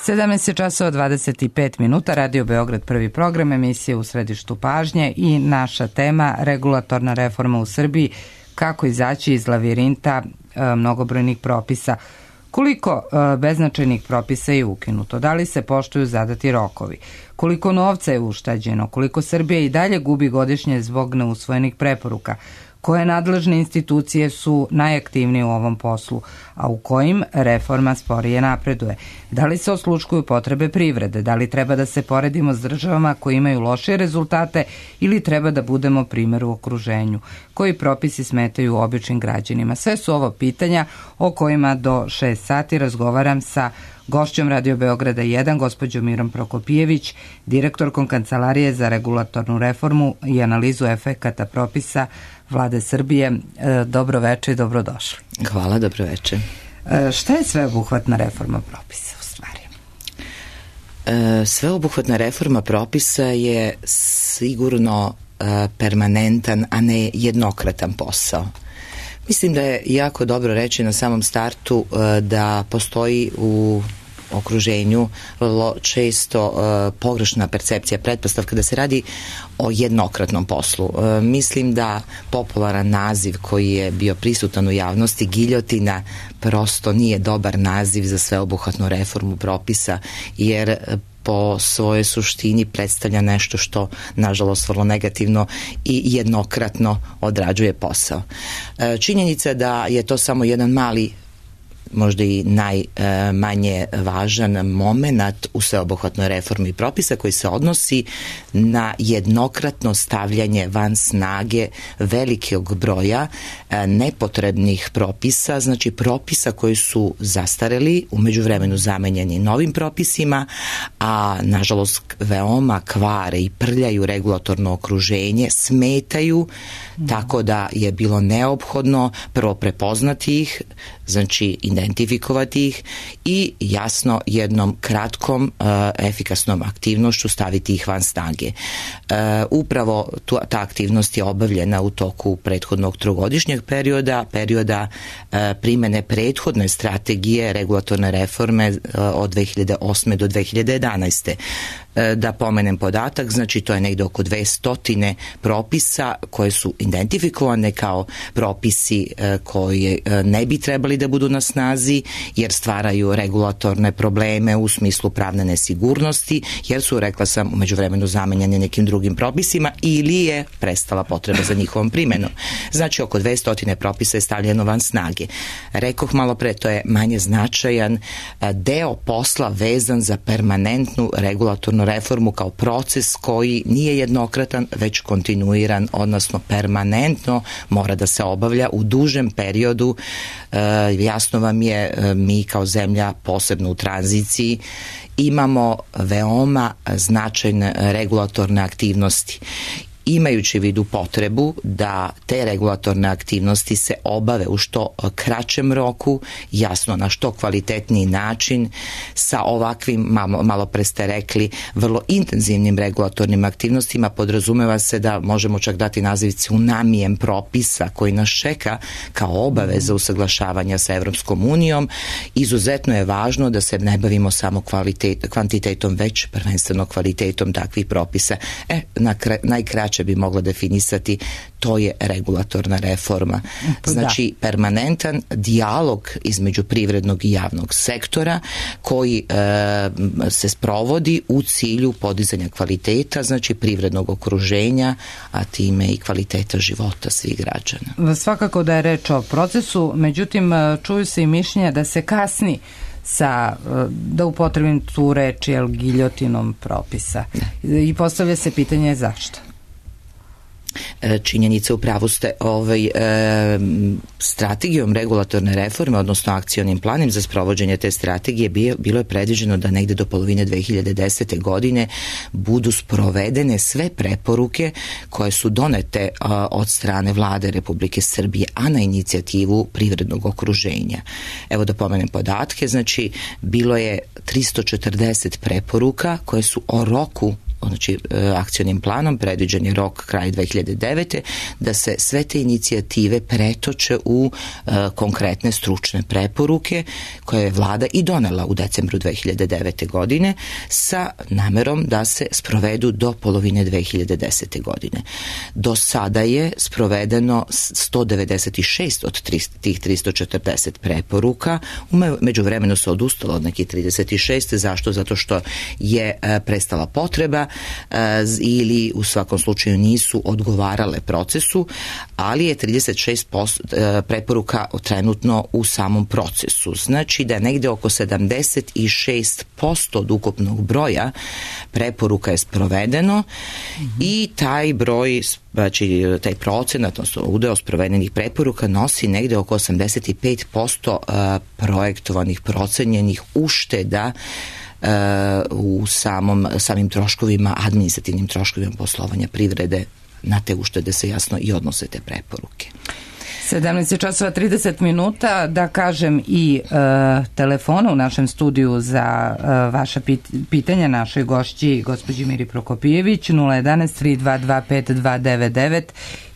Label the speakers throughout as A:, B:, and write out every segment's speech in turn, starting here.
A: 17 časova 25 minuta, Radio Beograd, prvi program, emisija U središtu pažnje i naša tema regulatorna reforma u Srbiji, kako izaći iz lavirinta mnogobrojnih propisa. Koliko beznačajnih propisa je ukinuto? Da li se poštuju zadati rokovi? Koliko novca je ušteđeno? Koliko Srbija i dalje gubi godišnje zbog neusvojenih preporuka? Koje nadležne institucije su najaktivnije u ovom poslu, a u kojim reforma sporije napreduje? Da li se osluškuju potrebe privrede? Da li treba da se poredimo s državama koji imaju lošije rezultate ili treba da budemo primjer u okruženju? Koji propisi smetaju običnim građanima? Sve su ovo pitanja o kojima do 6 sati razgovaram sa gošćom Radio Beograda 1, gospođom Mirom Prokopijević, direktorkom Kancelarije za regulatornu reformu i analizu efekata propisa Vlade Srbije. Dobro veče i dobrodošli.
B: Hvala, dobro veče.
A: Šta je sveobuhvatna reforma propisa u stvari?
B: Sveobuhvatna reforma propisa je sigurno permanentan, a ne jednokratan posao. Mislim da je jako dobro reći na samom startu da postoji u okruženju često pogrešna percepcija, pretpostavka da se radi o jednokratnom poslu. Mislim da popularan naziv koji je bio prisutan u javnosti, giljotina, prosto nije dobar naziv za sveobuhvatnu reformu propisa, jer po svojoj suštini predstavlja nešto što, nažalost, vrlo negativno i jednokratno odrađuje posao. Činjenica da je to samo jedan mali, možda i najmanje važan moment u sveobuhvatnoj reformi propisa koji se odnosi na jednokratno stavljanje van snage velikog broja nepotrebnih propisa, znači propisa koji su zastareli, u međuvremenu zamenjeni novim propisima, a nažalost veoma kvare i prljaju regulatorno okruženje, smetaju, tako da je bilo neophodno prvo prepoznati ih, znači identifikovati ih i jasno jednom kratkom efikasnom aktivnošću staviti ih van snage. Upravo ta aktivnost je obavljena u toku prethodnog trogodišnjeg perioda primene prethodne strategije regulatorne reforme od 2008. do 2011. Da pomenem podatak, znači to je negde oko 200 propisa koje su identifikovane kao propisi koji ne bi trebali da budu na snazi jer stvaraju regulatorne probleme u smislu pravne nesigurnosti, jer su, rekla sam, u međuvremenu zamenjene nekim drugim propisima ili je prestala potreba za njihovom primenom. Znači oko 200 propisa je stavljeno van snage. Rekoh malo pre, to je manje značajan deo posla vezan za permanentnu regulatornu reformu kao proces koji nije jednokratan, već kontinuiran, odnosno permanentno mora da se obavlja u dužem periodu. Jasno vam je, mi kao zemlja, posebno u tranziciji, imamo veoma značajne regulatorne aktivnosti. Imajući u vidu potrebu da te regulatorne aktivnosti se obave u što kraćem roku, jasno na što kvalitetniji način, sa ovakvim, malo pre ste rekli, vrlo intenzivnim regulatornim aktivnostima, podrazumeva se da možemo čak dati naziv tsunamijem propisa koji nas čeka kao obaveza usaglašavanja sa Evropskom unijom. Izuzetno je važno da se ne bavimo samo kvantitetom, već prvenstveno kvalitetom takvih propisa. Najkraće bi mogla definisati, to je regulatorna reforma. Znači, permanentan dijalog između privrednog i javnog sektora koji se sprovodi u cilju podizanja kvaliteta, znači privrednog okruženja, a time i kvaliteta života svih građana.
A: Svakako da je reč o procesu, međutim, čuju se i mišljenja da se kasni sa, da upotrebim tu reč, giljotinom propisa. I postavlja se pitanje zašto?
B: Činjenica, u pravu ste, strategijom regulatorne reforme, odnosno akcionim planom za sprovođenje te strategije bilo je predviđeno da negde do polovine 2010. godine budu sprovedene sve preporuke koje su donete od strane Vlade Republike Srbije, a na inicijativu privrednog okruženja. Evo da pomenem podatke, znači bilo je 340 preporuka koje su o roku znači akcionim planom predviđen je rok kraj 2009. da se sve te inicijative pretoče u konkretne stručne preporuke koje je vlada i donela u decembru 2009. godine sa namerom da se sprovedu do polovine 2010. godine. Do sada je sprovedeno 196 od tih 340 preporuka. U međuvremenu se odustalo od nekih 36. Zašto? Zato što je prestala potreba ili u svakom slučaju nisu odgovarale procesu, ali je 36% preporuka trenutno u samom procesu. Znači da negde oko 76% od ukupnog broja preporuka je sprovedeno i taj broj, znači taj procenat, odnosno udeo sprovedenih preporuka nosi negde oko 85% projektovanih, procenjenih ušteda u samim troškovima, administrativnim troškovima poslovanja privrede. Na te uštede se jasno i odnose te preporuke.
A: 17:30, da kažem i telefona u našem studiju za vaša pitanja našoj gošći, gospođi Miri Prokopijević, 011-322-5299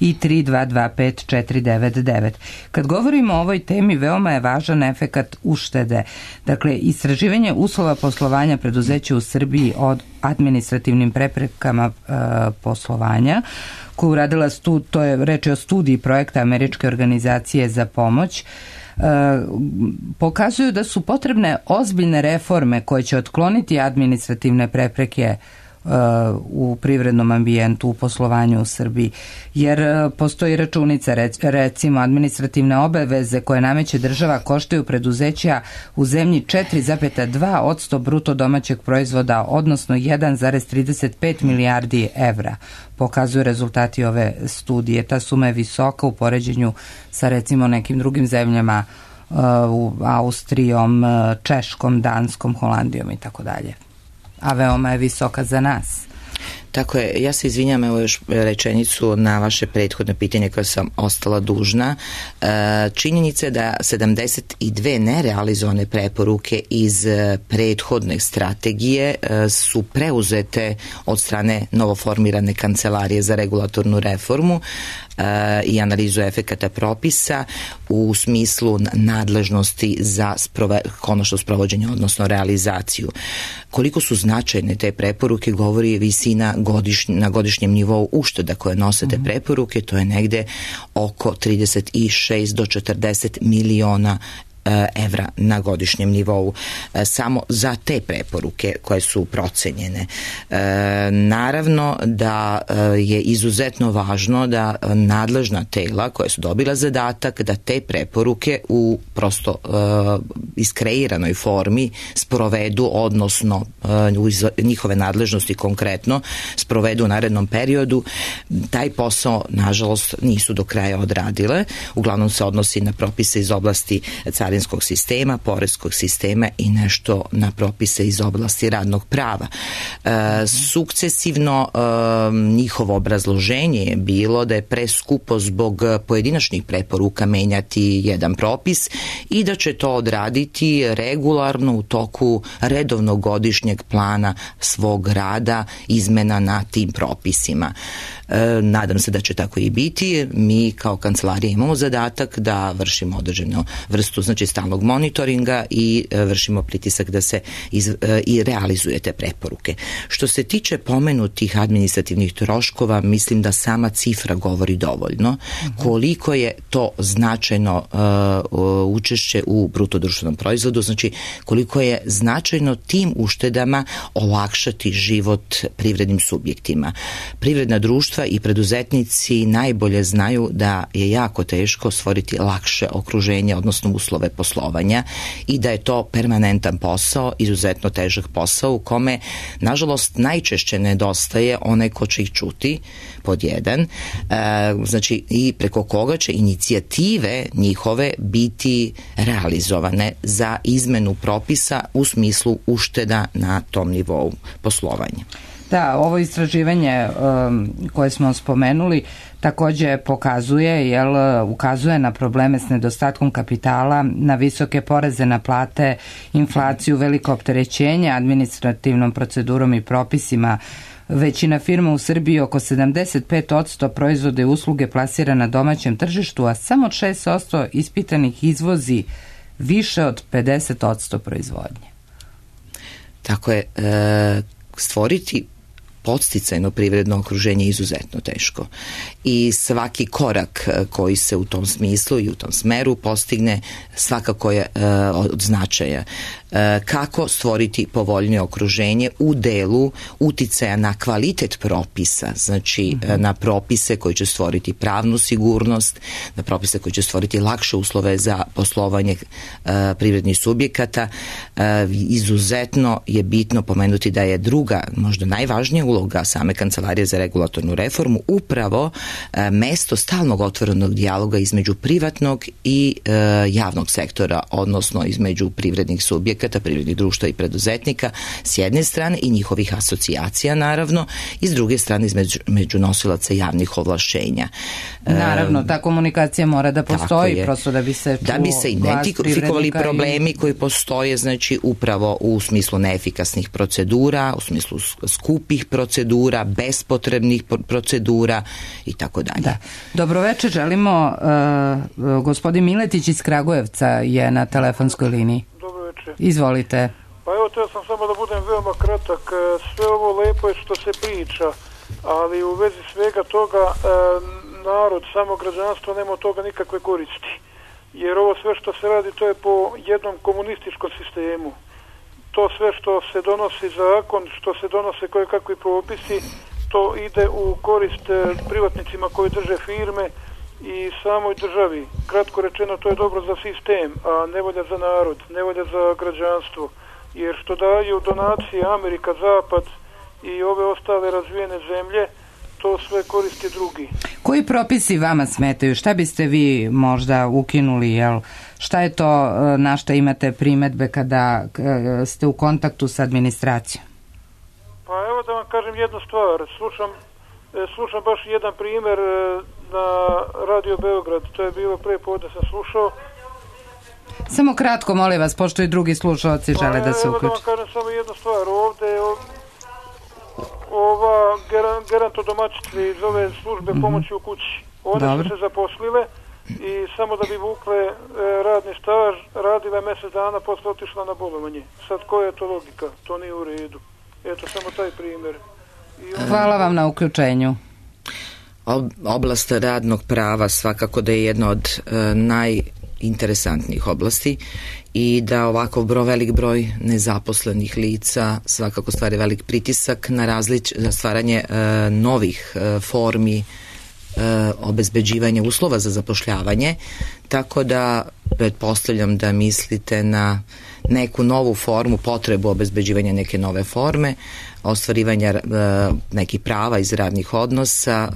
A: i 322-5499. Kad govorimo o ovoj temi, veoma je važan efekat uštede. Dakle, istraživanje uslova poslovanja preduzeća u Srbiji od administrativnim preprekama poslovanja, koju uradila to je reč o studiji projekta Američke organizacije za pomoć, pokazuju da su potrebne ozbiljne reforme koje će otkloniti administrativne prepreke u privrednom ambijentu, u poslovanju u Srbiji. Jer postoji računica, recimo administrativne obaveze koje nameće država koštaju preduzeća u zemlji 4,2% bruto domaćeg proizvoda, odnosno 1,35 milijardi evra. Pokazuju rezultati ove studije. Ta suma je visoka u poređenju sa recimo nekim drugim zemljama, Austrijom, Češkom, Danskom, Holandijom i tako dalje. A veoma je visoka za nas.
B: Tako je, ja se izvinjam, evo još rečenicu na vaše prethodne pitanje koje sam ostala dužna. Činjenica je da 72 nerealizovane preporuke iz prethodne strategije su preuzete od strane novoformirane Kancelarije za regulatornu reformu i analizu efekata propisa u smislu nadležnosti za konačno sprovođenje, odnosno realizaciju. Koliko su značajne te preporuke govori visina na godišnjem nivou ušteda koje nose te preporuke, to je negde oko 36 do 40 miliona evra na godišnjem nivou samo za te preporuke koje su procenjene. Naravno da je izuzetno važno da nadležna tela koje su dobila zadatak da te preporuke u prosto iskreiranoj formi sprovedu, odnosno u njihove nadležnosti konkretno sprovedu u narednom periodu. Taj posao, nažalost, nisu do kraja odradile. Uglavnom se odnosi na propise iz oblasti carinskog sistema, poreskog sistema i nešto na propise iz oblasti radnog prava. Sukcesivno njihovo obrazloženje je bilo da je preskupo zbog pojedinačnih preporuka menjati jedan propis i da će to odraditi regularno u toku redovnog godišnjeg plana svog rada izmena na tim propisima. Nadam se da će tako i biti. Mi kao kancelarija imamo zadatak da vršimo određenu vrstu, znači stalnog monitoringa i vršimo pritisak da se i realizuje te preporuke. Što se tiče pomenutih administrativnih troškova, mislim da sama cifra govori dovoljno. Koliko je to značajno učešće u bruto društvenom proizvodu, znači koliko je značajno tim uštedama olakšati život privrednim subjektima. Privredna društva i preduzetnici najbolje znaju da je jako teško stvoriti lakše okruženje, odnosno uslove poslovanja i da je to permanentan posao, izuzetno težak posao u kome, nažalost, najčešće nedostaje onaj ko će ih čuti, pod jedan, znači i preko koga će inicijative njihove biti realizovane za izmenu propisa u smislu ušteda na tom nivou poslovanja.
A: Da, ovo istraživanje koje smo spomenuli takođe ukazuje na probleme s nedostatkom kapitala, na visoke poreze na plate, inflaciju, veliko opterećenje administrativnom procedurom i propisima Većina firma u Srbiji, oko 75% proizvode i usluge plasira na domaćem tržištu, a samo 6% ispitanih izvozi više od 50% proizvodnje.
B: Tako je, stvoriti podsticajno privredno okruženje je izuzetno teško i svaki korak koji se u tom smislu i u tom smeru postigne svakako je od značaja. Kako stvoriti povoljnije okruženje u delu uticaja na kvalitet propisa, znači na propise koji će stvoriti pravnu sigurnost, na propise koji će stvoriti lakše uslove za poslovanje privrednih subjekata. Izuzetno je bitno pomenuti da je druga, možda najvažnija uloga same Kancelarije za regulatornu reformu upravo mesto stalnog otvorenog dijaloga između privatnog i javnog sektora, odnosno između privrednih subjekata, privrednih društva i preduzetnika s jedne strane i njihovih asocijacija naravno i s druge strane između nosilaca javnih ovlašćenja.
A: Naravno, ta komunikacija mora da postoji prosto da bi se
B: da bi se identifikovali problemi koji postoje, znači upravo u smislu neefikasnih procedura, u smislu skupih procedura, bespotrebnih procedura i tako dalje.
A: Da. Dobroveče, želimo gospodin Miletić iz Kragujevca je na telefonskoj liniji.
C: Dobroveče.
A: Izvolite.
C: Pa evo, teo sam samo da budem veoma kratak. Sve ovo lepo je što se priča, ali u vezi svega toga narod, samo građanstvo nema od toga nikakve koristi. Jer ovo sve što se radi, to je po jednom komunističkom sistemu. To sve što se donosi zakon, što se donose koje kakvi propisi, to ide u korist privatnicima koji drže firme i samoj državi. Kratko rečeno, to je dobro za sistem, a nevolja za narod, nevolja za građanstvo. Jer što daju donacije Amerika, Zapad i ove ostale razvijene zemlje, to sve koristi drugi.
A: Koji propisi vama smetaju? Šta biste vi možda ukinuli? Šta je to na šta imate primedbe kada ste u kontaktu sa administracijom?
C: Pa evo da vam kažem jednu stvar. Slušam baš jedan primjer na Radio Beograd. To je bilo pre podne sam slušao.
A: Samo kratko, molim vas, pošto i drugi slušalci žele da se uključe.
C: Evo da vam kažem samo jednu stvar. Ovde ova gerontodomaćice iz ove službe pomoći u kući. One su se zaposlile i samo da bi vukle radni staž, radile mjesec dana, posle otišla na bolovanje. Sad koja je to logika? To nije u redu. Eto, samo taj primjer.
A: Hvala vam na uključenju.
B: Oblast radnog prava svakako da je jedna od najinteresantnijih oblasti i da ovako velik broj nezaposlenih lica svakako stvari velik pritisak na stvaranje novih formi obezbeđivanja uslova za zapošljavanje, tako da pretpostavljam da mislite na neku novu formu, potrebu obezbeđivanja neke nove forme, ostvarivanja nekih prava iz radnih odnosa,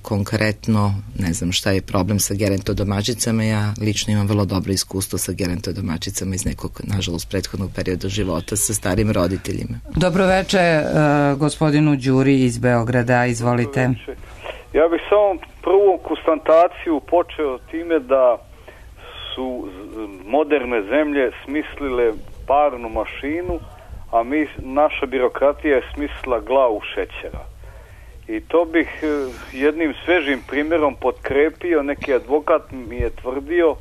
B: konkretno ne znam šta je problem sa gerontodomaćicama. Ja lično imam vrlo dobro iskustvo sa gerontodomaćicama iz nekog, nažalost, prethodnog perioda života sa starim roditeljima.
A: Dobroveče gospodinu Đuri iz Beograda, izvolite.
D: Ja bih samo prvu konstataciju počeo time da su moderne zemlje smislile parnu mašinu, a naša birokratija je smislila glavu šećera. I to bih jednim svežim primjerom potkrepio. Neki advokat mi je tvrdio,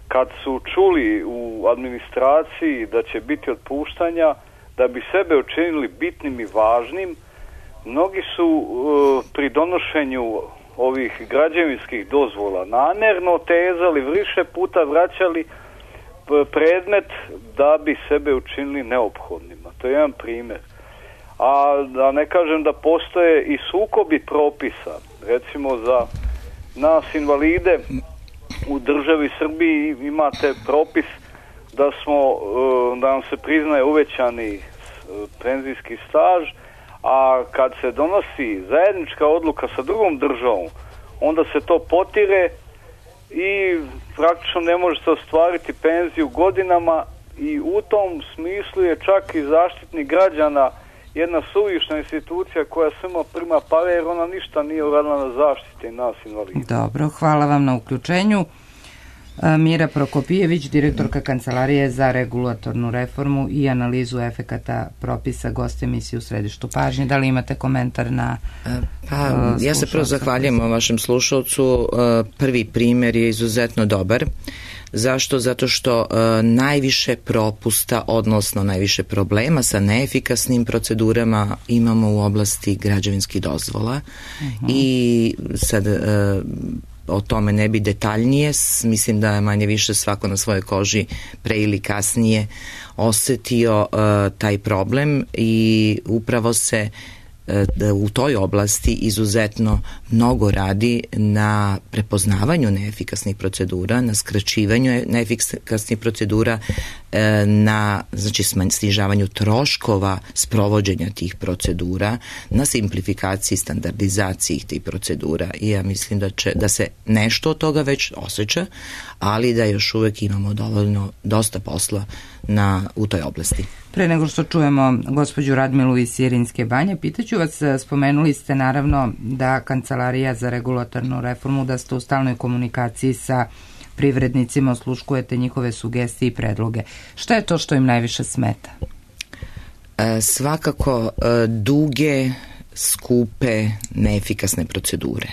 D: kad su čuli u administraciji da će biti otpuštanja, da bi sebe učinili bitnim i važnim, mnogi su pri donošenju ovih građevinskih dozvola namjerno otezali, više puta vraćali predmet da bi sebe učinili neophodnima. To je jedan primjer. A da ne kažem da postoje i sukobi propisa. Recimo za nas invalide u državi Srbiji imate propis da nam se priznaje uvećani penzijski staž, a kad se donosi zajednička odluka sa drugom državom, onda se to potire i praktično ne može se ostvariti penziju godinama i u tom smislu je čak i zaštitnik građana jedna suvišna institucija koja samo prima pare jer ona ništa nije uradila na zaštiti nas invalida.
A: Dobro, hvala vam na uključenju. Mira Prokopijević, direktorka Kancelarije za regulatornu reformu i analizu efekata propisa, gost emisije U središtu pažnje. Da li imate komentar na
B: ja se prvo zahvaljujem o vašem slušalcu. Prvi primjer je izuzetno dobar. Zašto? Zato što najviše propusta, odnosno najviše problema sa neefikasnim procedurama imamo u oblasti građevinskih dozvola. I sad o tome ne bi detaljnije, mislim da je manje više svako na svojoj koži pre ili kasnije osetio taj problem i upravo se u toj oblasti izuzetno mnogo radi na prepoznavanju neefikasnih procedura, na skraćivanju neefikasnih procedura, na snižavanju troškova sprovođenja tih procedura, na simplifikaciji, standardizaciji tih procedura. I ja mislim da se nešto od toga već osjeća, ali da još uvek imamo dosta posla u toj oblasti.
A: Pre nego što čujemo gospođu Radmilu iz Sirinske Banje, pitaću vas, spomenuli ste naravno da Kancelarija za regulatornu reformu, da ste u stalnoj komunikaciji sa privrednicima, osluškujete njihove sugestije i predloge. Šta je to što im najviše smeta?
B: Svakako duge, skupe, neefikasne procedure.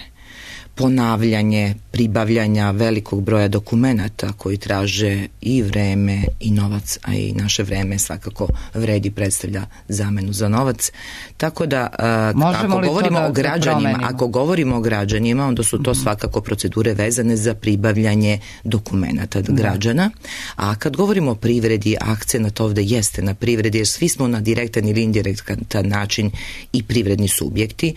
B: Ponavljanje, pribavljanja velikog broja dokumenata koji traže i vreme i novac, a i naše vreme svakako vredi, predstavlja zamenu za novac. Tako da ako govorimo o građanima, onda su to svakako procedure vezane za pribavljanje dokumenata građana, a kad govorimo o privredi, akcenat ovde jeste na privredi, jer svi smo na direktan ili indirektan način i privredni subjekti,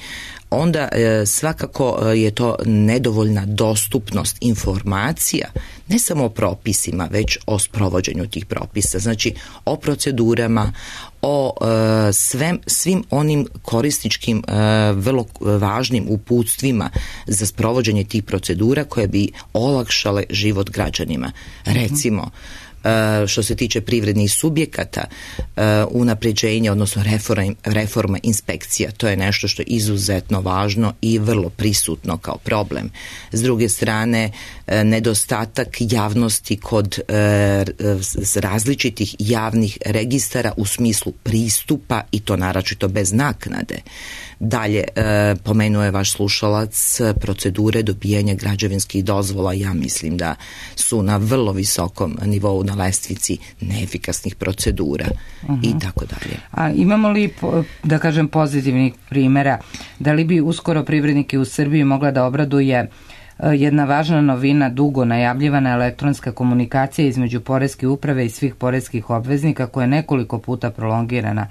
B: onda svakako je to nedovoljna dostupnost informacija, ne samo o propisima, već o sprovođenju tih propisa, znači o procedurama, o svim onim korisničkim, vrlo važnim uputstvima za sprovođenje tih procedura koje bi olakšale život građanima. Recimo, što se tiče privrednih subjekata, unapređenje, odnosno reforma inspekcija, to je nešto što je izuzetno važno i vrlo prisutno kao problem. S druge strane, nedostatak javnosti kod različitih javnih registara u smislu pristupa, i to naročito bez naknade. Dalje, pomenuo je vaš slušalac procedure dobijanja građevinskih dozvola. Ja mislim da su na vrlo visokom nivou na lestvici neefikasnih procedura i tako dalje.
A: A imamo li, da kažem, pozitivnih primjera? Da li bi uskoro privrednike u Srbiji mogla da obraduje jedna važna novina, dugo najavljivana elektronska komunikacija između poreske uprave i svih poreskih obveznika, koja je nekoliko puta prolongirana?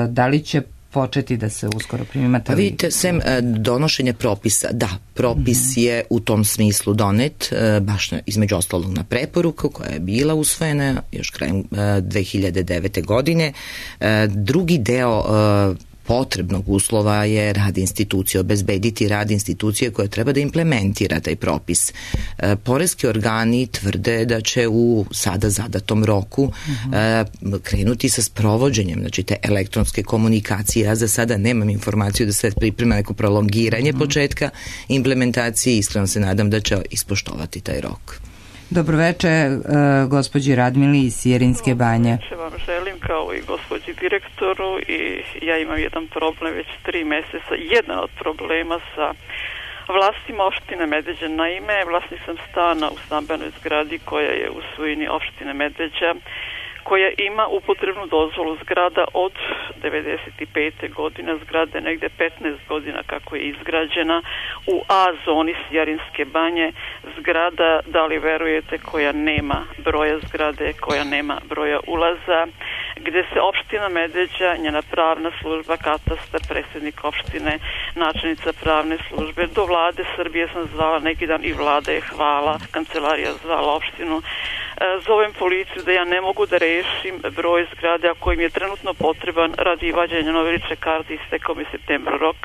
A: Da li će početi da se uskoro primimate?
B: Vidite, sem donošenja propisa, da, propis je u tom smislu donet, baš između ostalog na preporuku koja je bila usvojena još krajem 2009. godine. Drugi deo potrebnog uslova je rad institucije, obezbediti rad institucije koja treba da implementira taj propis. Poreski organi tvrde da će u sada zadatom roku krenuti sa sprovođenjem, znači te elektronske komunikacije. Ja za sada nemam informaciju da se priprema neko prolongiranje početka implementacije, iskreno se nadam da će ispoštovati taj rok.
A: Dobroveče, gospođi Radmili iz Sirinske Banje.
E: Dobroveče vam želim, kao i gospođi direktoru, i ja imam jedan problem već 3 meseca. Jedan od problema sa vlastima opštine Medveđa. Naime, vlasnik sam stana u stambenoj zgradi koja je u svojini opštine Medveđa, koja ima upotrebnu dozvolu. Zgrada od 95. godine, zgrada je negde 15 godina kako je izgrađena, u A zoni Sirinske Banje, zgrada, da li verujete, koja nema broja zgrade, koja nema broja ulaza, gde se opština Medveđa, njena pravna služba, katastar, predsjednik opštine, načelnica pravne službe, do vlade Srbije sam zvala neki dan i vlada je, hvala, kancelarija zvala opštinu. Zovem policiju da ja ne mogu da rešim broj zgrade, a kojim je trenutno potreban radi vađenja nove lične karte, istekao mi septembra rok.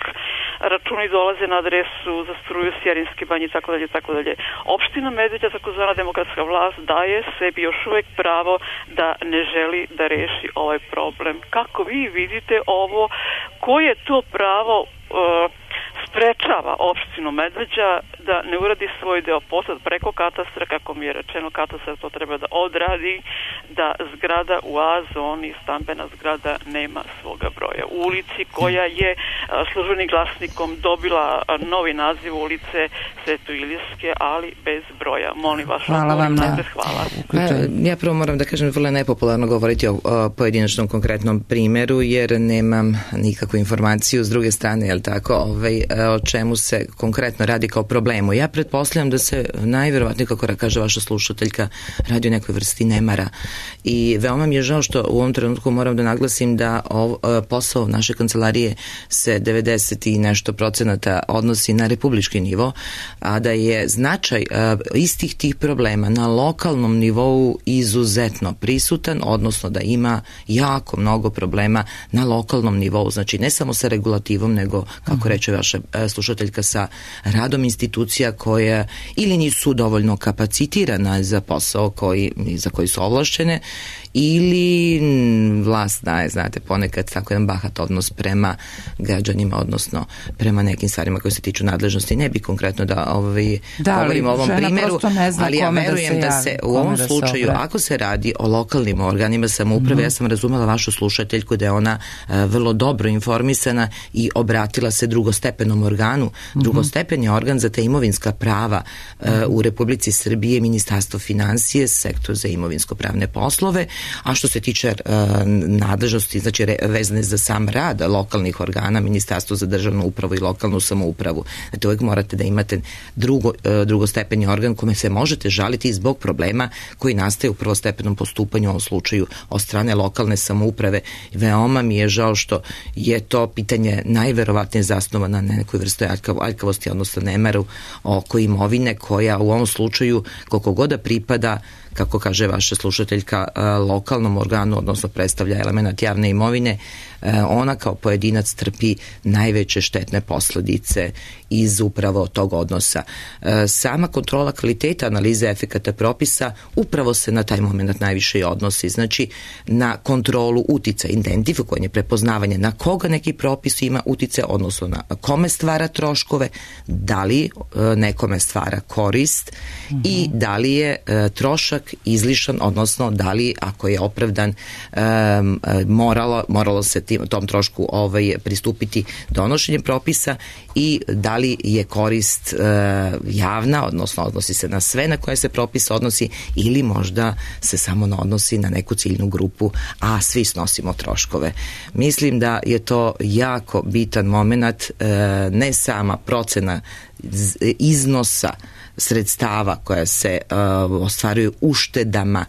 E: Računi dolaze na adresu za struju Sirinske Banje i tako dalje, tako dalje. Opština Medveđa, takozvana demokratska vlast, daje sebi još uvek pravo da ne želi da reši ovaj problem. Kako vi vidite ovo? Koje je to pravo sprečava opštinu Medveđa da ne uradi svoj deo posla preko katastra, kako mi je rečeno, katastar to treba da odradi, da zgrada u A zoni, stambena zgrada, nema svoga broja. U ulici koja je službenim glasnikom dobila novi naziv ulice Sveto-Ilirske, ali bez broja. Molim vaš odgovor. Hvala.
B: Ja prvo moram da kažem, vrlo je nepopularno govoriti o pojedinačnom konkretnom primjeru, jer nemam nikakvu informaciju s druge strane, jel tako, o čemu se konkretno radi kao problemu. Ja pretpostavljam da se najverovatnije, kako kaže vaša slušateljka, radi o nekoj vrsti nemara. I veoma mi je žao što u ovom trenutku moram da naglasim da posao naše kancelarije se 90 i nešto procenata odnosi na republički nivo, a da je značaj istih tih problema na lokalnom nivou izuzetno prisutan, odnosno da ima jako mnogo problema na lokalnom nivou, znači ne samo sa regulativom, nego, kako reče vaša slušateljka, sa radom institucija koja ili nisu dovoljno kapacitirana za posao za koji su ovlašćene, ili vlast daje, znate, ponekad tako jedan bahat odnos prema građanima, odnosno prema nekim stvarima koje se tiču nadležnosti. Ne bi konkretno da govorim o ovom primjeru, ali ja verujem da se u ovom slučaju, ako se radi o lokalnim organima samouprave, ja sam razumela vašu slušateljku da je ona vrlo dobro informisana i obratila se drugostepenom organu. Drugostepeni organ za te imovinska prava u Republici Srbije, Ministarstvo finansije, sektor za imovinsko-pravne poslove. A što se tiče nadležnosti, znači vezane za sam rad lokalnih organa, Ministarstvo za državnu upravu i lokalnu samoupravu. Znači, uvijek morate da imate drugostepeni organ kome se možete žaliti zbog problema koji nastaje u prvostepenom postupanju, u ovom slučaju od strane lokalne samouprave. Veoma mi je žao što je to pitanje najverovatnije zasnovano na nekoj vrsti aljkavosti, odnosno nemaru oko imovine, koja u ovom slučaju, koliko god da pripada, kako kaže vaša slušateljka, lokalnom organu, odnosno predstavlja element javne imovine, ona kao pojedinac trpi najveće štetne posledice iz upravo tog odnosa. Sama kontrola kvaliteta analize efekata propisa upravo se na taj moment najviše i odnosi, znači na kontrolu uticaja, identifikovanje, prepoznavanje na koga neki propis ima uticaja, odnosno na kome stvara troškove, da li nekome stvara korist i da li je trošak izlišan, odnosno da li, ako je opravdan, moralo se tom trošku pristupiti donošenjem propisa, i da li je korist javna, odnosno odnosi se na sve na koje se propis odnosi, ili možda se samo odnosi na neku ciljnu grupu, a svi snosimo troškove. Mislim da je to jako bitan moment, ne sama procena iznosa sredstava koja se ostvaruju uštedama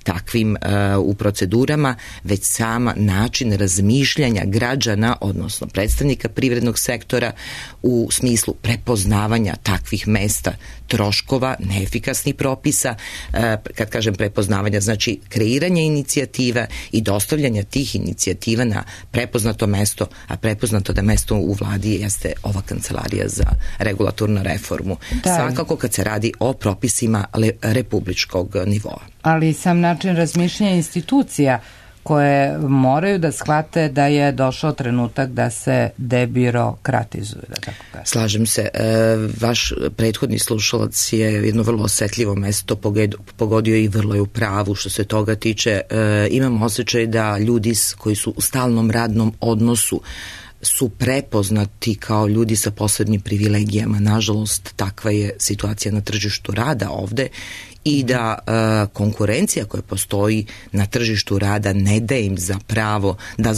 B: takvim u procedurama, već sama način razmišljanja građana, odnosno predstavnika privrednog sektora, u smislu prepoznavanja takvih mesta troškova, neefikasnih propisa. Kad kažem prepoznavanja, znači kreiranje inicijativa i dostavljanja tih inicijativa na prepoznato mesto, a prepoznato da mesto u vladi jeste ova kancelarija za regulatornu reformu. Svakako kad se radi o propisima republičkog nivoa.
A: Ali sam način razmišljanja institucija koje moraju da shvate da je došao trenutak da se debirokratizuju, da tako kažem.
B: Slažem se. Vaš prethodni slušalac je jedno vrlo osetljivo mesto pogodio i vrlo je u pravu što se toga tiče. Imam osjećaj da ljudi koji su u stalnom radnom odnosu su prepoznati kao ljudi sa posebnim privilegijama. Nažalost, takva je situacija na tržištu rada ovde, i da konkurencija koja postoji na tržištu rada ne da im za pravo da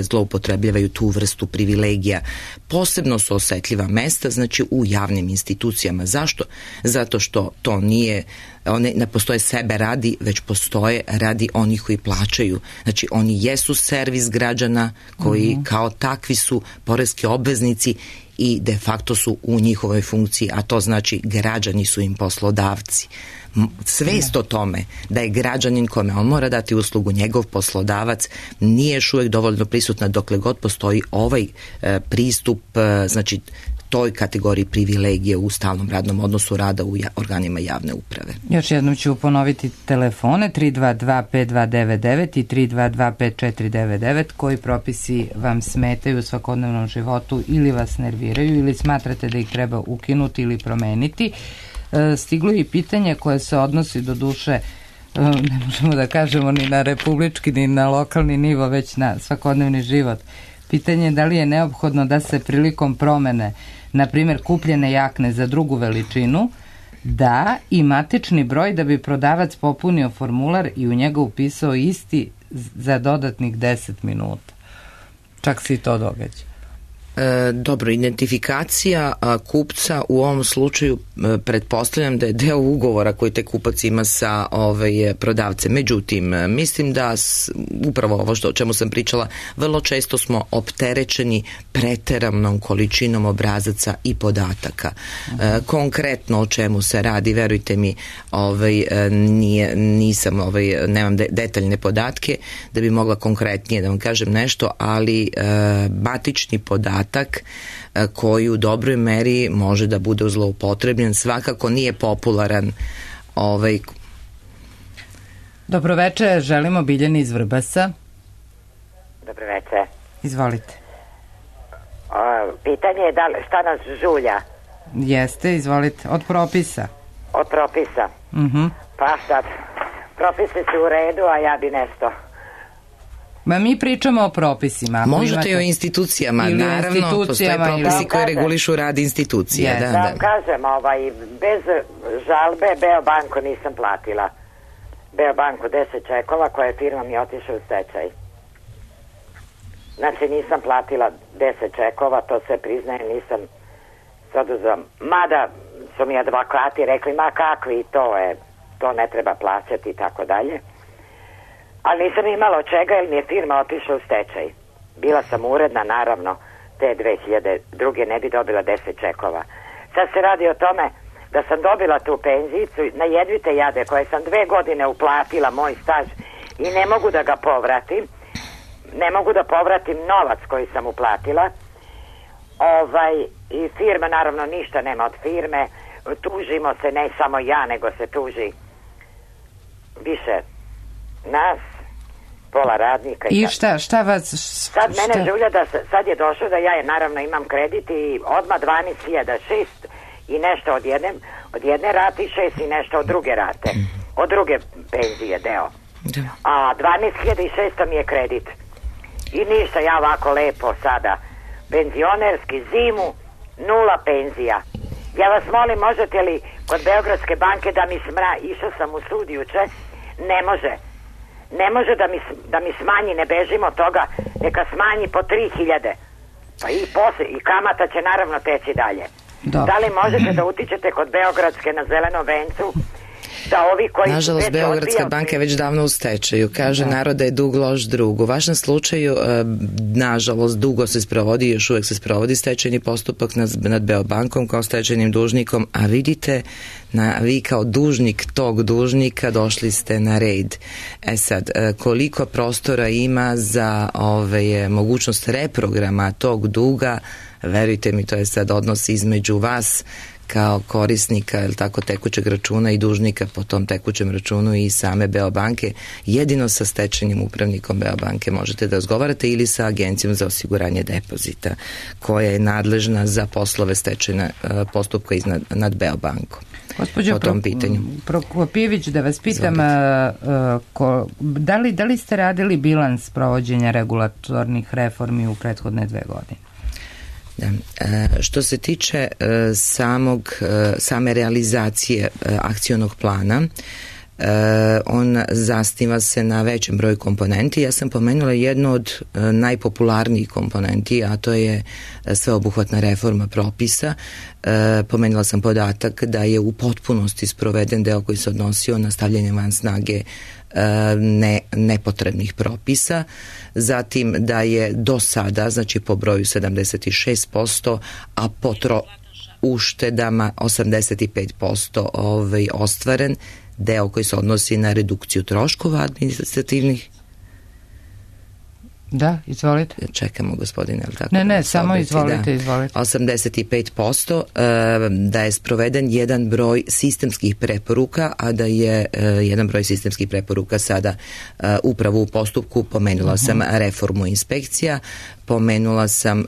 B: zloupotrebljavaju tu vrstu privilegija. Posebno su osetljiva mesta, znači u javnim institucijama. Zašto? Zato što to nije, one ne postoje sebe radi, već postoje radi onih koji plaćaju. Znači oni jesu servis građana koji kao takvi su poreski obveznici i de facto su u njihovoj funkciji, a to znači građani su im poslodavci. Svest o tome da je građanin kome on mora dati uslugu njegov poslodavac nije još uvijek dovoljno prisutna dokle god postoji ovaj pristup, znači toj kategoriji privilegije u stalnom radnom odnosu rada u organima javne uprave.
A: Još jednom ću ponoviti telefone 322-5299 i 322-5499 koji propisi vam smetaju u svakodnevnom životu ili vas nerviraju ili smatrate da ih treba ukinuti ili promeniti. Stiglo je i pitanje koje se odnosi do duše, ne možemo da kažemo ni na republički ni na lokalni nivo, već na svakodnevni život. Pitanje je da li je neophodno da se prilikom promene, na primjer kupljene jakne za drugu veličinu, da i matični broj da bi prodavac popunio formular i u njega upisao isti za dodatnih 10 minuta. Čak se i to događa.
B: Dobro, identifikacija kupca u ovom slučaju pretpostavljam da je deo ugovora koji te kupac ima sa prodavcem. Međutim, mislim da upravo ovo o čemu sam pričala, vrlo često smo opterećeni preteranom količinom obrazaca i podataka. Konkretno o čemu se radi, verujte mi, nemam detaljne podatke da bi mogla konkretnije da vam kažem nešto, ali matični podatak koji u dobroj meri može da bude zloupotrebljen, svakako nije popularan.
A: Dobroveče, želimo Biljani iz Vrbasa.
F: Dobroveče.
A: Izvolite.
F: Pitanje je šta nas žulja?
A: Jeste, izvolite. Od propisa.
F: Od propisa. Pa sad, propisi su u redu, a ja bi nešto.
A: Ma mi pričamo o propisima.
B: Možete i o institucijama, naravno, postoje propisi koji regulišu rad institucija.
F: Da vam kažem, bez žalbe Beobanku nisam platila. Beobanku 10 čekova koje firma mi otišla u stečaj. Znači nisam platila 10 čekova, to se priznaje, nisam se oduzela. Mada su mi advokati rekli, ma kakvi, to ne treba plaćati i tako dalje. Ali nisam imala od čega jer mi je firma otišla u stečaj. Bila sam uredna, naravno, te 2002. ne bi dobila 10 čekova. Sad se radi o tome da sam dobila tu penzijicu na jedvite jade koje sam 2 godine uplatila moj staž i ne mogu da ga povratim. Ne mogu da povratim novac koji sam uplatila. I firma, naravno, ništa nema od firme. Tužimo se, ne samo ja, nego se tuži više nas, pola radnika.
A: I šta vas...
F: Sad mene žulja da sad je došlo da ja naravno imam kredit i odmah 12.006 i nešto od jedne rate i 6 i nešto od druge rate. Od druge penzije deo. A 12.600 mi je kredit. I ništa, ja ovako lepo sada penzionerski zimu, 0 penzija. Ja vas molim, možete li kod Beogradske banke da mi išao sam u sud juče, ne može da mi smanji, ne bežimo od toga, neka smanji po 3.000, pa i kamata će naravno teći dalje. Da li možete da utičete kod Beogradske na Zelenom vencu da ovi koji...
B: Nažalost, Beogradska banka je već davno u stečaju. Kaže narod da je dug loš drug. U vašem slučaju, nažalost, dugo se sprovodi, još uvek se sprovodi stečajni postupak nad Beobankom kao stečajnim dužnikom, a vidite, vi kao dužnik tog dužnika došli ste na red. Sad, koliko prostora ima za mogućnost reprograma tog duga, verujte mi, to je sad odnos između vas kao korisnika tekućeg računa i dužnika po tom tekućem računu i same Beobanke. Jedino sa stečajnim upravnikom Beobanke možete da razgovarate ili sa Agencijom za osiguranje depozita koja je nadležna za poslove stečajna postupka nad Beobankom.
A: Gospođo Prokopijević, da vas pitam, da li ste radili bilans provođenja regulatornih reformi u prethodne 2 godine?
B: Da. Što se tiče same realizacije akcionog plana, on zasniva se na većem broju komponenti. Ja sam pomenula jednu od najpopularnijih komponenti, a to je sveobuhvatna reforma propisa. Pomenula sam podatak da je u potpunosti sproveden deo koji se odnosio na stavljanje van snage nepotrebnih propisa, zatim da je do sada, znači po broju 76%, a po uštedama 85% ostvaren deo koji se odnosi na redukciju troškova administrativnih.
A: Da, izvolite.
B: Čekamo, gospodine, ali tako?
A: Ne, samo izvolite, izvolite.
B: 85% da je sproveden jedan broj sistemskih preporuka, a da je jedan broj sistemskih preporuka sada upravo u postupku. Pomenula sam reformu inspekcija, pomenula sam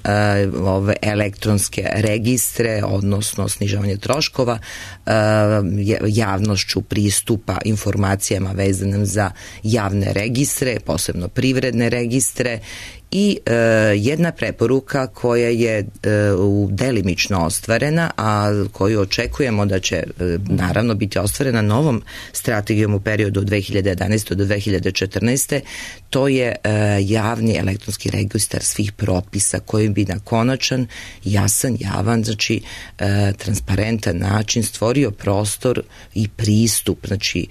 B: ove elektronske registre, odnosno snižavanje troškova, javnošću pristupa informacijama vezanim za javne registre, posebno privredne registre, i jedna preporuka koja je delimično ostvarena, a koju očekujemo da će naravno biti ostvarena novom strategijom u periodu od 2011. do 2014. To je javni elektronski registar svih propisa koji bi na konačan, jasan, javan, znači transparentan način stvorio prostor i pristup, znači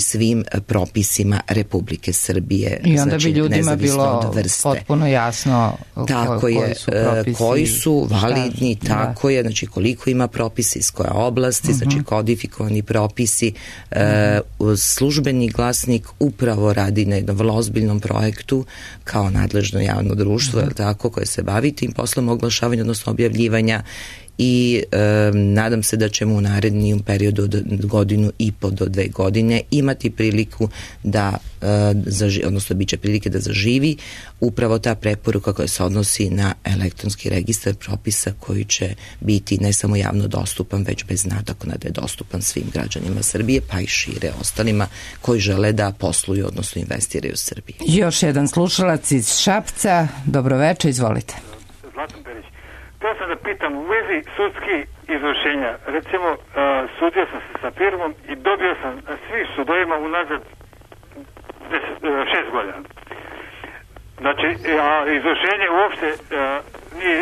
B: svim propisima Republike Srbije.
A: I onda bi ljudima bilo potpuno jasno
B: koji su validni, tako je, znači koliko ima propisa iz koje oblasti, znači kodifikovani propisi. Službeni glasnik upravo radi na jednom vrlo ozbiljnom projektu kao nadležno javno društvo, tako, koje se bavi tim poslom oglašavanja, odnosno objavljivanja, i nadam se da ćemo u narednijem periodu od 1,5 do 2 godine imati priliku da odnosno bit će prilike da zaživi upravo ta preporuka koja se odnosi na elektronski registar propisa koji će biti ne samo javno dostupan, već bez nadoknade da je dostupan svim građanima Srbije, pa i šire ostalima koji žele da posluju, odnosno investiraju u Srbiji.
A: Još jedan slušalac iz Šapca. Dobroveče, izvolite.
G: Zlatan Perić. Htio sam da pitam u vezi sudskih izvršenja. Recimo, sudio sam se sa firmom i dobio sam svih sudovima unazad 6 godina. Znači, izvršenje uopšte nije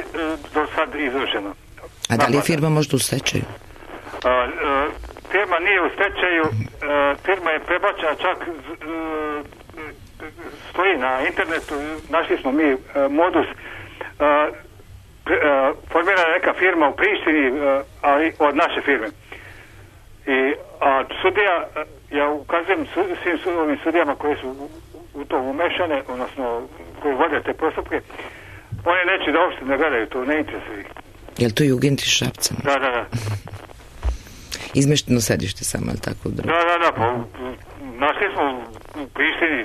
G: do sad izvršeno.
B: A da li je firma možda u stečaju?
G: Firma nije u stečaju, firma je prebačena, čak stoji na internetu, našli smo mi modus, formirana je neka firma u Prištini, ali od naše firme. A sudija, ja ukazujem svim ovim sudijama koji su u to umešane, odnosno koji vode te postupke, oni neće da uopšte ne gledaju, to ne interesuje ih.
B: Je li to Jugend iz Šapca?
G: Da.
B: Izmešteno sedište samo, ali tako?
G: Da, pa našli smo u Prištini.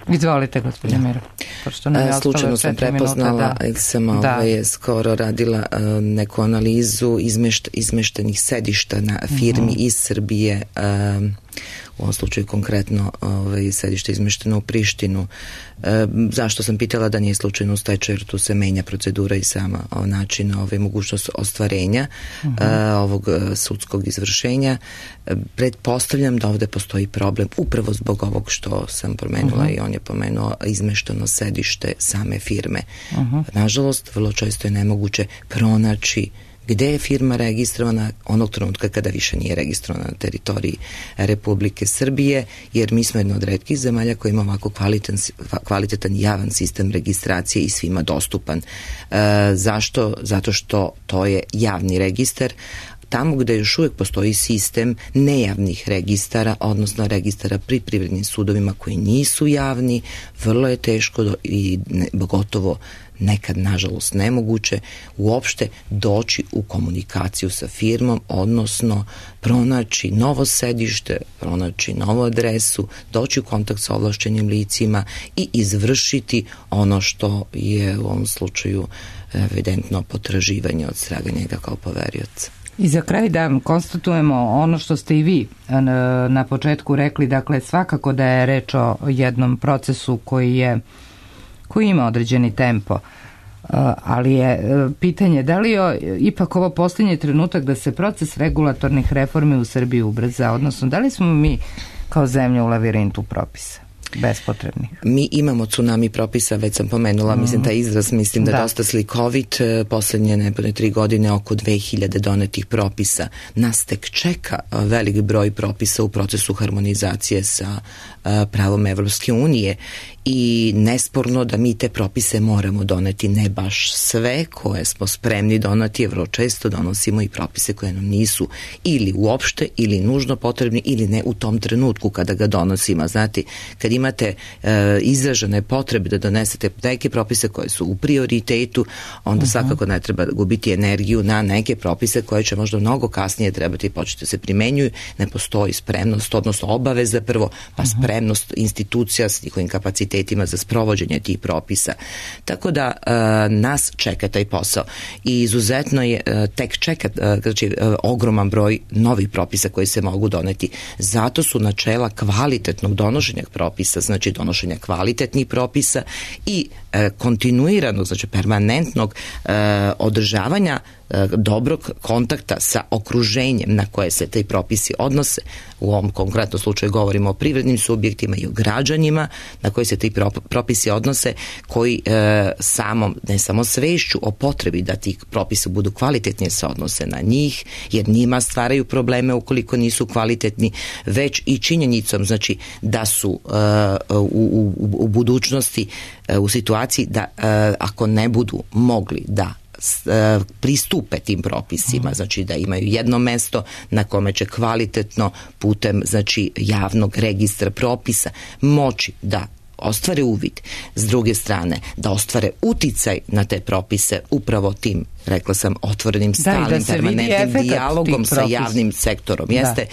A: Izvolite, gospodin Miro.
B: Slučajno sam prepoznala, sam skoro radila neku analizu izmeštenih sedišta na firmi iz Srbije, u ovom slučaju konkretno sedište izmešteno u Prištinu. Zašto sam pitala da nije slučajno u stečaju, jer tu se menja procedura i sama način mogućnost ostvarenja ovog sudskog izvršenja. Pretpostavljam da ovde postoji problem upravo zbog ovog što sam pomenula i on je pomenuo izmešteno sedište same firme. Nažalost, vrlo često je nemoguće pronaći gde je firma registrovana onog trenutka kada više nije registrovana na teritoriji Republike Srbije, jer mi smo jedna od retkih zemalja koja ima ovako kvalitetan javan sistem registracije i svima dostupan. Zašto? Zato što to je javni registar. Tamo gde još uvijek postoji sistem nejavnih registara, odnosno registara pri privrednim sudovima koji nisu javni, vrlo je teško i gotovo nekad, nažalost, nemoguće uopšte doći u komunikaciju sa firmom, odnosno pronaći novo sedište, pronaći novu adresu, doći u kontakt sa ovlašćenim licima i izvršiti ono što je u ovom slučaju evidentno potraživanje od strane njega kao poverioca.
A: I za kraj da konstatujemo ono što ste i vi na početku rekli, dakle svakako da je reč o jednom procesu koji ima određeni tempo, ali je pitanje da li je ipak ovo posljednji trenutak da se proces regulatornih reformi u Srbiji ubrza, odnosno da li smo mi kao zemlja u lavirintu propisa bespotrebnih?
B: Mi imamo tsunami propisa, već sam pomenula, mislim taj izraz, mislim da je dosta slikovit. Poslednje 3 godine oko 2000 donetih propisa. Nas tek čeka velik broj propisa u procesu harmonizacije sa pravom Evropske unije i nesporno da mi te propise moramo doneti, ne baš sve koje smo spremni doneti, vrlo često donosimo i propise koje nam nisu ili uopšte ili nužno potrebni ili ne u tom trenutku kada ga donosimo. Znate, kad imate izražene potrebe da donesete neke propise koje su u prioritetu, onda svakako ne treba gubiti energiju na neke propise koje će možda mnogo kasnije trebati početi da se primenjuju. Ne postoji spremnost, odnosno obaveza prvo, pa spremnost institucija s njihovim kapacitetima za sprovođenje tih propisa. Tako da nas čeka taj posao i izuzetno je tek čeka ogroman broj novih propisa koji se mogu doneti. Zato su načela kvalitetnog donošenja propisa, znači donošenja kvalitetnih propisa i kontinuiranog, znači permanentnog održavanja dobrog kontakta sa okruženjem na koje se taj propisi odnose. U ovom konkretnom slučaju govorimo o privrednim subjektima i o građanima na koji se ti propisi odnose, koji ne samo svešću o potrebi da ti propisi budu kvalitetnije se odnose na njih, jer njima stvaraju probleme ukoliko nisu kvalitetni, već i činjenicom, znači da su u budućnosti u situaciji da ako ne budu mogli da pristupe tim propisima, znači da imaju jedno mesto na kome će kvalitetno putem, znači, javnog registra propisa moći da ostvare uvid, s druge strane da ostvare uticaj na te propise upravo tim, rekla sam, otvorenim, stalnim, permanentnim dijalogom sa javnim sektorom. Jeste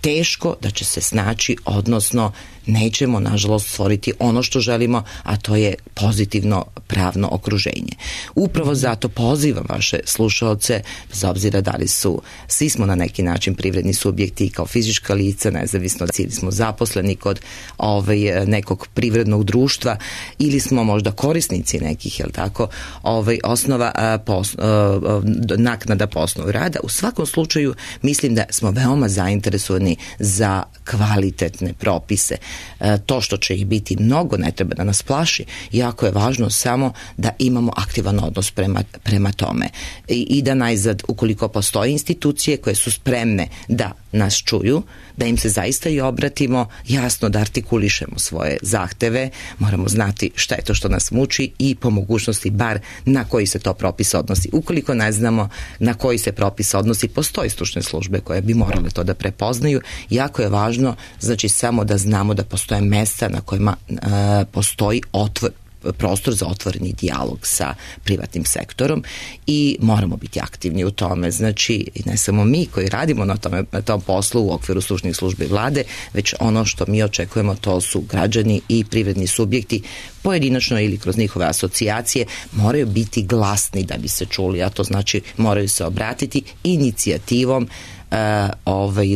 B: teško da će se snaći, odnosno nećemo nažalost stvoriti ono što želimo, a to je pozitivno pravno okruženje. Upravo zato pozivam vaše slušaoce, bez obzira da li su, svi smo na neki način privredni subjekti kao fizička lica, nezavisno ili smo zaposleni kod nekog privrednog društva ili smo možda korisnici nekih, jel tako, osnova naknada po osnovu rada. U svakom slučaju mislim da smo veoma zainteresovani za kvalitetne propise. To što će ih biti mnogo ne treba da nas plaši, jako je važno samo da imamo aktivan odnos prema tome i da najzad, ukoliko postoje institucije koje su spremne da nas čuju, da im se zaista i obratimo, jasno da artikulišemo svoje zahteve, moramo znati šta je to što nas muči i po mogućnosti bar na koji se to propis odnosi. Ukoliko ne znamo na koji se propis odnosi, postoje stručne službe koje bi morale to da prepoznaju. Jako je važno, znači, samo da znamo da postoje mesta na kojima postoji prostor za otvoreni dijalog sa privatnim sektorom i moramo biti aktivni u tome. Znači, ne samo mi koji radimo na tom poslu u okviru stručnih službi vlade, već ono što mi očekujemo, to su građani i privredni subjekti pojedinačno ili kroz njihove asocijacije, moraju biti glasni da bi se čuli, a to znači moraju se obratiti inicijativom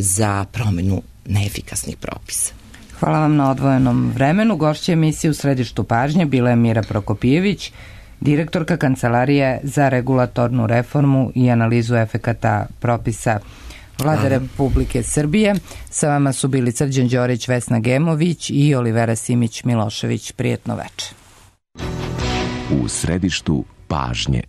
B: za promenu neefikasnih propisa.
A: Hvala vam na odvojenom vremenu. Gošća emisije U središtu pažnje bila je Mira Prokopijević, direktorka Kancelarije za regulatornu reformu i analizu efekata propisa Vlade Republike Srbije. Sa vama su bili Srđan Đorić, Vesna Gemović i Olivera Simić Milošević. Prijetno veče.
H: U središtu pažnje.